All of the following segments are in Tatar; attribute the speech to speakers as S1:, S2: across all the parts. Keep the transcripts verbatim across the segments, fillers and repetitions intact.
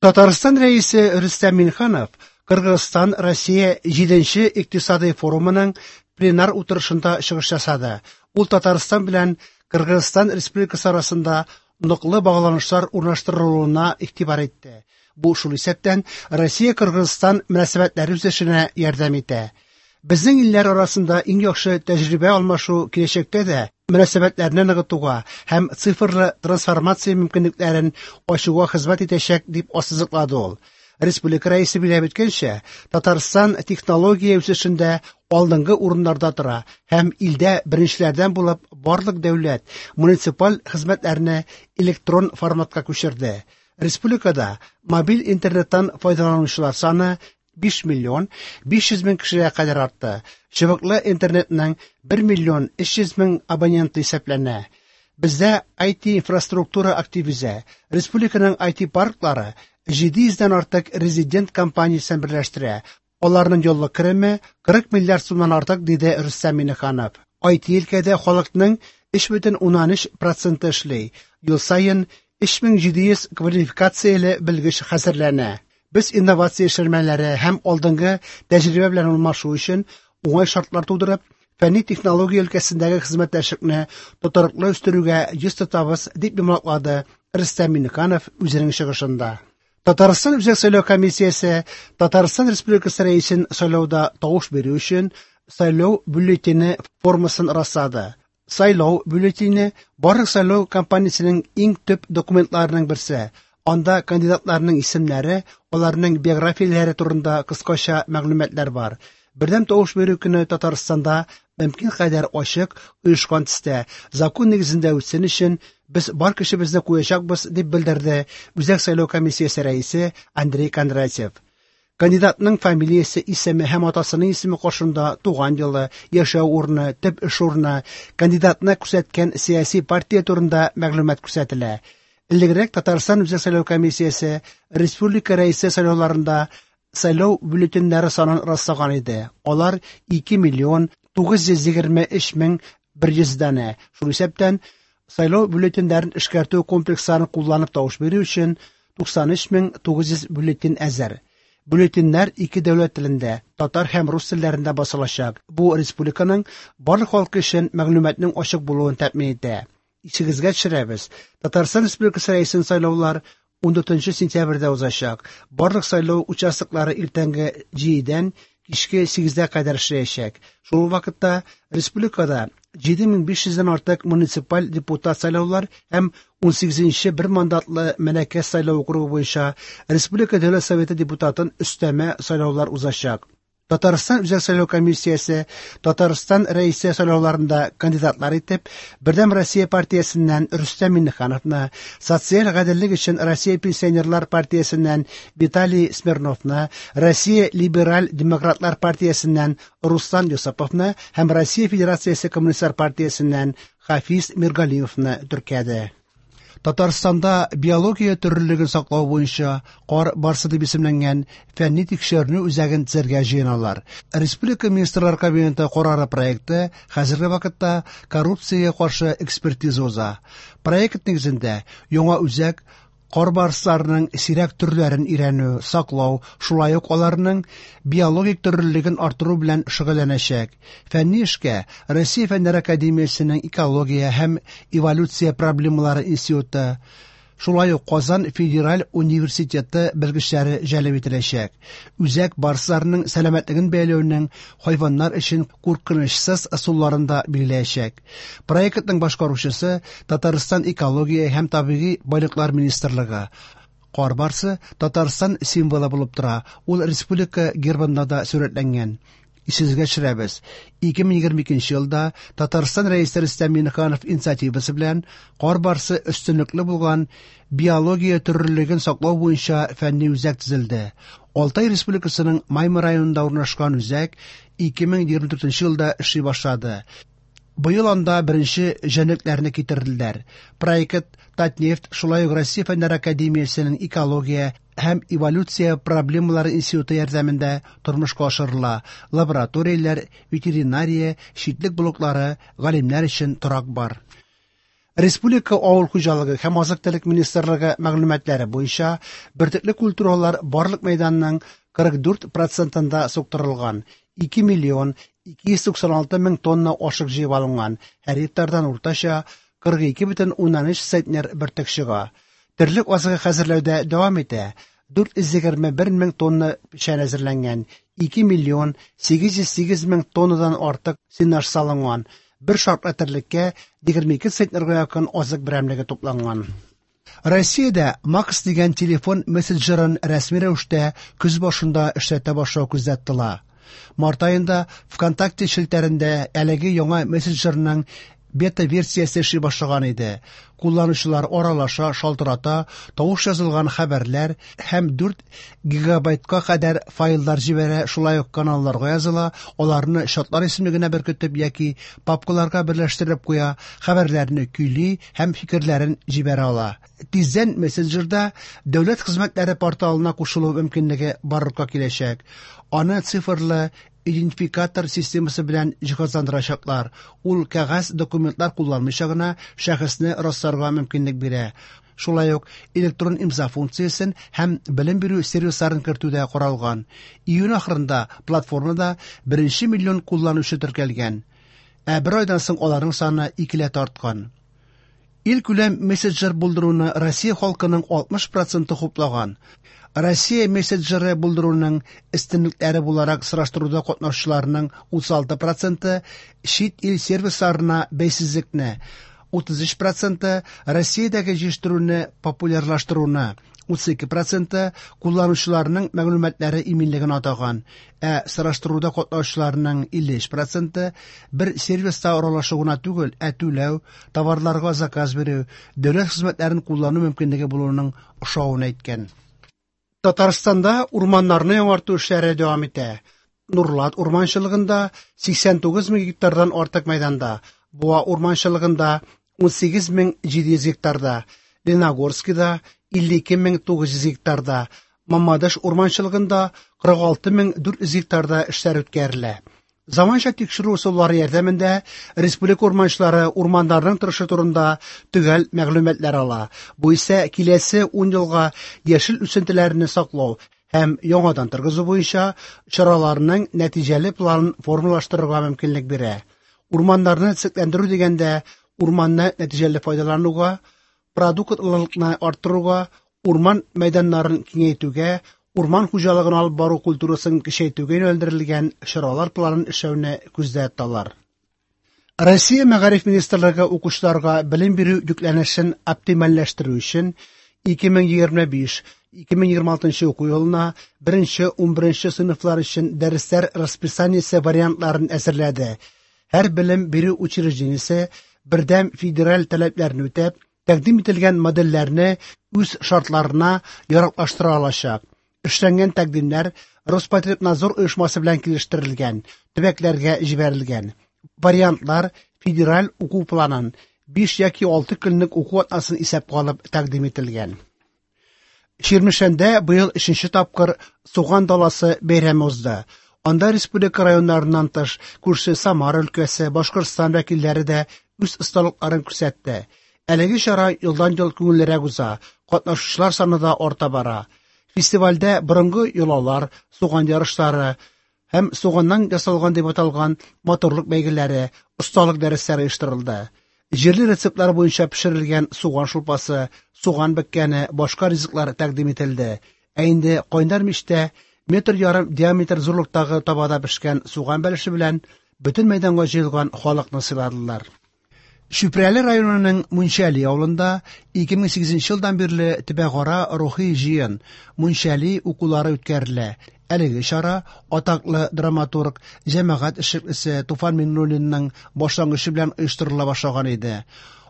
S1: Татарстан Рәисе Рөстәм Миңнеханов Кыргызстан Россия җиденче икътисадый форумының пленар утырышында чыгыш ясады. Ул Татарстан белән Кыргызстан Республикасы арасында ныклы багланышлар урнаштырылуына игътибар итте. Бу шул исәптән Россия-Кыргызстан мөнәсәбәтләре үсешенә ярдәм итә. Безнең илләр арасында иң яхшы тәҗрибә алмашу киләчәктә дә мөнәсәбәтләрне ныгытуга һәм цифрлы трансформация мөмкинлекләрен ачуга хезмәт итәчәк, дип ассызыклады ул. Республика Рәисе билгеләп үткәнчә, Татарстан технология үсешендә алдынгы урыннарда тора һәм илдә беренчеләрдән булып барлык дәүләт, муниципаль хезмәтләрне электрон форматка күчерде. Республикада мобиль интернеттан файдаланучылар саны биш миллион биш йөз мең кешегә кадәр артты. Чыбыклы интернетның бер миллион өч йөз мең абоненты исәпләнә. Бездә ай ти-инфраструктура актив үсә. Республиканың ай ти-парклары җиде йөздән артык резидент компаниясен берләштерә. Аларның еллык кереме кырык миллиард сумнан артык, диде Рөстәм Миңнеханов. ай ти өлкәдә халыкның өч бөтен уннан өч проценты эшли. Ел саен өч мең җиде йөз квалификацияле белгеч хәзерләнә. Без инновация эшләнмәләре һәм алдынгы тәҗрибә белән алмашу өчен уңай шартлар тудырып, фәнни технология өлкәсендәге хезмәттәшлекне тотрыклы үстерүгә йөз тотабыз, дип йомгаклады Рөстәм Миңнеханов үзенең чыгышында. Татарстан Үзәк сайлау комиссиясе Татарстан Республикасы Рәисен сайлауда тавыш бирү өчен сайлау бюллетене формасын раслады. Сайлау бюллетене барлык сайлау кампаниясенең иң төп документларының берсе. Анда кандидатларның исемнәре, аларның биографияләре турында кыскача мәгълүматлар бар. Бердәм тавыш бирү көне Татарстанда мөмкин кадәр ачык, оешкан төстә, закон нигезендә үтсен өчен без бар көчебезне куячакбыз, дип белдерде Үзәк сайлау комиссиясе рәисе Андрей Кондратьев. Кандидатның фамилиясе, исеме һәм атасының исеме каршында туган елы, яшәү урыны, төп эш урыны, кандидатны күрсәткән сәяси партия турында мәгълүмат күрсәтелә. Элегрәк Татарстан Үзәк сайлау комиссиясе республика рәисе сайлауларында сайлау бюллетеньнәре санын раслаган иде. Алар ике миллион тугыз йөз егерме өч мең бер йөз данә. Шул исәптән сайлау бюллетеньнәрен эшкәртү комплексларын кулланып тавыш бирү өчен туксан өч мең тугыз йөз бюллетень әзер. Бюллетеньнәр ике дәүләт телендә, татар һәм рус телләрендә басылачак. Бу республиканың барлык халкы өчен мәгълүматның ачык булуын тәэмин итә. Исегезгә төшерәбез. Татарстан Республикасы Рәисен сайлаулар ундүртенче сентябрьдә узачак. Барлык сайлау участоклары иртәнге җидедән кичке сигезгә кадәр эшләячәк. Шул ук вакытта республикада җиде мең биш йөздән артык муниципаль депутат сайлаулар һәм унсигезенче бер мандатлы Мәләкәс сайлау округы буенча Республика Дәүләт Советы депутатын өстәмә сайлаулар узачак. Татарстан Үзәк сайлау комиссиясе Татарстан Рәисе сайлауларында кандидатлар итеп Бердәм Россия партиясеннән Рөстәм Миңнехановны, Социаль гаделлек өчен Россия пенсионерлар партиясеннән Виталий Смирновны, Россия либераль демократлар партиясеннән Руслан Юсуповны һәм Россия Федерациясе коммунистлар партиясеннән Хафиз Миргалимовны теркәде. Татарстанда биология төрлелеген саклау буенча кар барсы дип исемләнгән фәнни тикшеренү үзәген төзергә җыеналар. Республика Министрлар Кабинеты карары проекты хәзерге вакытта коррупциягә каршы экспертиза уза. Проект нигезендә яңа үзәк кар барсларының сирәк төрләрен өйрәнү, саклау, шулай ук аларның биологик төрлелеген арттыру белән шөгыльләнәчәк. Фәнни эшкә Россия Фәннәр Академиясенең экология һәм эволюция проблемалары институты, шулай ук Казан Федераль университеты белгечләре җәлеп ителәчәк. Үзәк барсларның сәламәтлеген бәяләүнең хайваннар өчен куркынычсыз ысулларын да билгеләячәк. Проектның башкаручысы Татарстан экология һәм табигый байлыклар министрлыгы. Кар барсы Татарстан символы булып тора. Ул республика гербында да сурәтләнгән. Исегезгә төшерәбез. Ике мең егерме икенче елда Татарстан Рәисе Рөстәм Миңнеханов инициативасы белән кар барсы өстенлекле булган биология төрлелеген саклау буенча фәнни үзәк төзелде. Алтай Республикасының Маймы районында урнашкан үзәк ике мең егерме дүртенче елда эшли башлады. Быел анда беренче җәнлекләрне китерделәр. Проект Татнефть, шулай ук Россия Фәннәр Академиясенең экология һәм эволюция проблемалары институты ярдәмендә тормышка ашырыла. Лабораторияләр, ветеринария, читлек блоклары, галимнәр өчен торак бар. Республика авыл хуҗалыгы һәм азык-төлек министрлыгы мәгълүматлары буенча бөртекле культуралар барлык мәйданның кырык дүрт процентында суктырылган, ике миллион ике йөз туксан алты мең тонна ашык җыеп алынган, һәр гектардан уртача кырык ике бөтен уннан өч центнер бөртек чыга. Терлек азыгы хәзерләүдә дәвам итә. Дүрт йөз егерме бер мең тонна печән әзерләнгән, ике миллион сигез йөз сигез мең тоннадан артык сенаж салынган. Бер шартлы терлеккә егерме ике центнерга якын азык берәмлеге тупланган. Россиядә Макс дигән телефон мессенджерын рәсми рәвештә көз башында эшләтә башлау күздә тотыла. Март аенда ВКонтакте челтәрендә әлеге яңа мессенджерның бета-версиясе эшли башлаган иде. Кулланучылар аралаша, шалтырата, тавыш язылган хәбәрләр һәм дүрт гигабайтка кадәр файллар җибәрә, шулай ук каналларга языла, аларны чатлар исемлегенә беркетеп яки папкаларга берләштереп куя, хәбәрләрне көйли һәм фикерләрен җибәрә ала. Тиздән мессенджерда дәүләт хезмәтләре порталына кушылу мөмкинлеге барлыкка киләчәк. Аны цифрлы идентификатор системасы белән җиһазландырачаклар. Ул кәгазь документлар кулланмыйча гына шәхесне расларга мөмкинлек бирә. Шулай ук электрон имза функциясен һәм белем бирү сервисларын кертү дә каралган. Июнь ахырында платформада беренче миллион кулланучы теркәлгән. Ә бер айдан соң аларның саны икеләтә арткан. Илкүләм мессенджер булдыруны Россия халкының алтмыш проценты хуплаган. Россия мессенджеры булдыруның өстенлекләре буларак сораштыруда катнашучыларның утыз алты проценты чит ил сервисларына бәйсезлекне, утыз өч проценты Россиядәге җитештерүне популярлаштыруны, утыз ике проценты кулланучыларның мәгълүматлары иминлеген атаган, ә сораштыруда катнашучыларның илле өч проценты бер сервиста аралашу гына түгел, ә түләү, товарларга заказ бирү, дәүләт хезмәтләрен куллану мөмкинлеге булуының ошавын әйткән. Татарстанда урманнарны яңарту эшләре дәвам итә. Нурлат урманчылыгында сиксән тугыз мең гектардан артык мәйданда, Буа урманчылыгында ун сигез мең җиде йөз гектарда, Леногорскида илле ике мең тугыз йөз гектарда, Мамадыш урманчылыгында кырык алты мең дүрт йөз гектарда эшләр үткәрелә. Заманча тикшерү ысуллары ярдәмендә республика урманчылары урманнарның торышы турында төгәл мәгълүматлар ала. Бу исә киләсе ун елга яшел үсентеләрне саклау һәм яңадан торгызу буенча чараларның нәтиҗәле планын формалаштырырга мөмкинлек бирә. Урманнарны төзекләндерү дигәндә урманны нәтиҗәле файдалануга, продуктлылыкны арттыруга, урман мәйданнарын киңәйтүгә, урман хуҗалыгын алып бару культурасын көчәйтүгә юнәлдерелгән чаралар планын эшләүне күздә тоталар. Россия Мәгариф министрлыгы укучыларга белем бирү йөкләнешен оптимальләштерү өчен ике мең егерме биш, ике мең егерме алтынчы уку елына беренче, унберенче сыйныфлар өчен дәресләр расписаниесе вариантларын әзерләде. Һәр белем бирү учреждениесе бердәм федераль таләпләрне үтәп, тәкъдим ителгән модельләрне үз шартларына яраклаштыра алачак. Эшләнгән тәкъдимнәр Роспотребнадзор оешмасы белән килештерелгән, төбәкләргә җибәрелгән. Вариантлар федераль уку планын биш яки алты көнлек уку атнасын исәпкә алып тәкъдим ителгән. Чирмешәндә быел өченче тапкыр Суган даласы бәйрәме узды. Анда республика районнарыннан тыш күрше Самара өлкәсе, Башкортстан вәкилләре дә үз осталыкларын күрсәтте. Әлеге чара елдан-ел күңеллерәк уза, катнашучылар саны да арта бара. Фестивальдә борынгы йолалар, суган ярышлары һәм суганнан ясалган дип аталган матурлык бәйгеләре, осталык дәресләре оештырылды. Җирле рецептлар буенча пешерелгән суган шулпасы, суган бөккәне, башка ризыклар тәкъдим ителде. Ә инде кайнар мичтә метр ярым диаметр зурлыктагы табада пешкән суган бәлеше белән бөтен мәйданга җыелган халыкны сыйладылар. Чүпрәле районының Мунчәли авылында ике мең сигезенче елдан бирле төбәкара рухи җыен Мунчәли укулары үткәрелә. Әлеге чара атаклы драматург, җәмәгать эшлеклесе Туфан Миңнуллинның башлангычы белән оештырыла башлаган иде.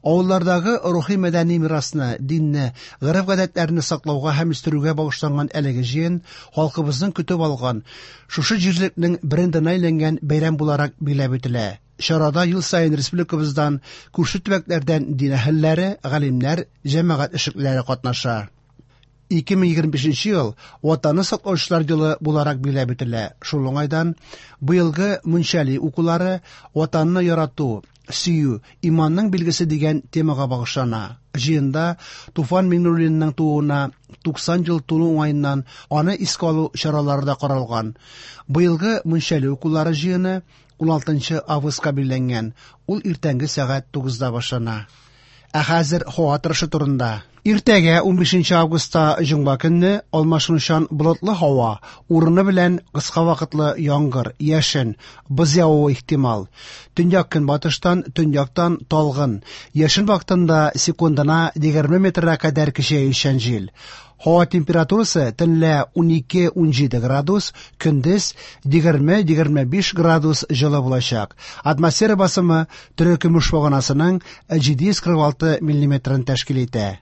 S1: Авыллардагы рухи мәдәни мирасны, динне, гореф-гадәтләрне саклауга һәм үстерүгә багышланган әлеге җыен халкыбызның көтеп алган, шушы җирлекнең брендына әйләнгән бәйрәм буларак билгеләп үтелә. Чарада ел саен республикабыздан, күрше төбәкләрдән дин әһелләре, галимнәр, җәмәгать эшлеклеләре катнаша. Ике мең егерме бишенче ел Ватанны саклаучылар елы буларак билгеләп үтелә. Шул уңайдан быелгы Мунчәли укулары Ватанны ярату, Сөю иманның билгесе дигән темага багышлана. Җыенда Туфан Миңнуллинның тууына туксан ел тулу уңаеннан аны искә алу чаралары да каралган. Быелгы Мунчәли укулары җыены уналтынчы августка билгеләнгән. Ул иртәнге сәгать тугызда башлана. Ә хәзер һава торышы турында. Иртәгә унбишенче августта җомга көнне алмашынучан болытлы һава, урыны белән кыска вакытлы яңгыр, яшен, боз явуы ихтимал. Төньяк көнбатыштан, төньяктан талгын. Яшен вакытында секундына егерме метрга кадәр көчәючән җил. Һава температурасы төнлә унике-унҗиде градус, көндез егерме-егерме биш градус җылы булачак. Атмосфера басымы терекөмеш баганасының җиде йөз кырык алты миллиметрын тәшкил итә.